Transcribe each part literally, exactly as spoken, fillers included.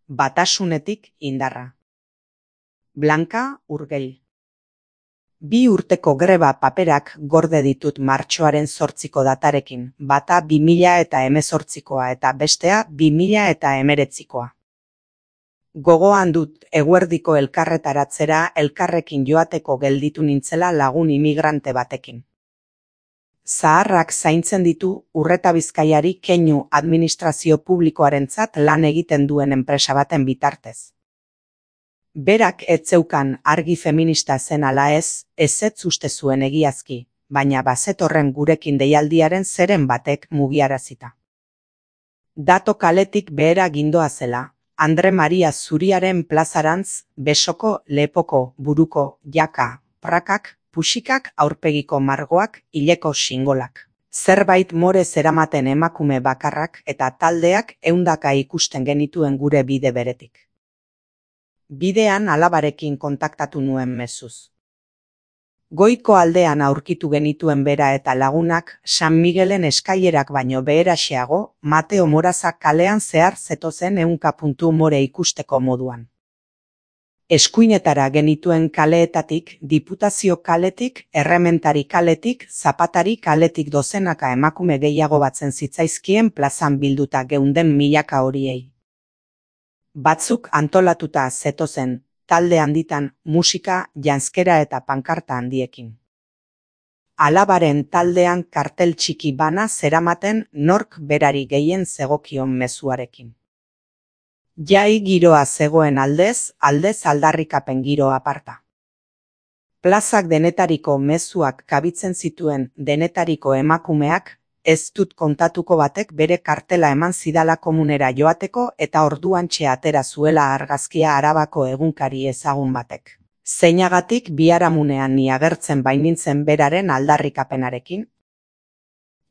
Batasunetik indarra. Blanka Urgell. Bi urteko greba paperak gorde ditut martxoaren zortziko datarekin, bata bi mila eta hemezortzikoa eta bestea bi mila eta hemeretzikoa. Gogoan dut eguerdiko elkarretaratzera elkarrekin joateko gelditu nintzela lagun imigrante batekin. Zaharrak zaintzen ditu Urreta Bizkaiari keinu administrazio publikoarentzat lan egiten duen enpresa baten bitartez. Berak ez zeukan argi feminista zen ala ez, ezetz uste zuen egiazki, baina bazetorren gurekin deialdiaren zeren batek mugiarazita. Dato kaletik behera gindoa zela, Andre Maria Zuriaren plazarantz, besoko, lepoko, buruko, jaka, prakak, puxikak, aurpegiko margoak, hileko xingolak. Zerbait more zeramaten emakume bakarrak eta taldeak ehundaka ikusten genituen gure bide beretik. Bidean alabarekin kontaktatu nuen mezuz. Goiko aldean aurkitu genituen bera eta lagunak San Miguelen eskailerak baino beheraxeago Mateo Morazak kalean zehar zetozen ehunka puntu more ikusteko moduan. Eskuinetara genituen kaleetatik, Diputazio kaletik, Errementari kaletik, Zapatari kaletik dozenaka emakume gehiago batzen zitzaizkien plazan bilduta geunden milaka horiei. Batzuk antolatuta zetozen, talde handitan, musika, janzkera eta pankarta handiekin. Alabaren taldean kartel txiki bana zeramaten nork berari gehien zegokion mezuarekin. Jai giroa zegoen aldez, aldez aldarrikapen giro aparta. Plazak denetariko mezuak kabitzen zituen denetariko emakumeak, ez dut kontatuko batek bere kartela eman zidala komunera joateko eta orduantxe atera zuela argazkia Arabako egunkari ezagun batek. Zeinagatik biharamunean ni agertzen bainintzen beraren aldarrikapenarekin?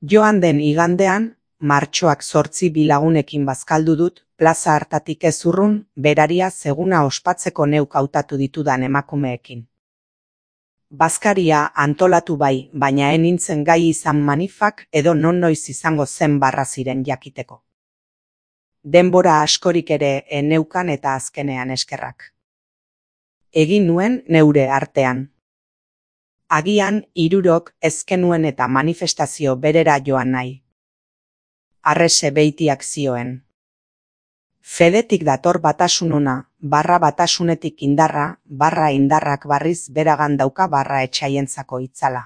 Joan den igandean, martxoak zortzi bilagunekin bazkaldu dut, plaza hartatik ez urrun, beraria zeguna ospatzeko neuk hautatu ditudan emakumeekin. Bazkaria antolatu bai, baina ez nintzen gai izan manifak edo non noiz izango zen barra ziren jakiteko. Denbora askorik ere eneukan eta azkenean eskerrak. Egin nuen neure artean. Agian hirurok ezkenuen eta manifestazio berera joan nahi. Arrese beitiak zioen. Fedetik dator batasunona, barra batasunetik indarra, barra indarrak barriz beragan dauka barra etxaientzako itzala.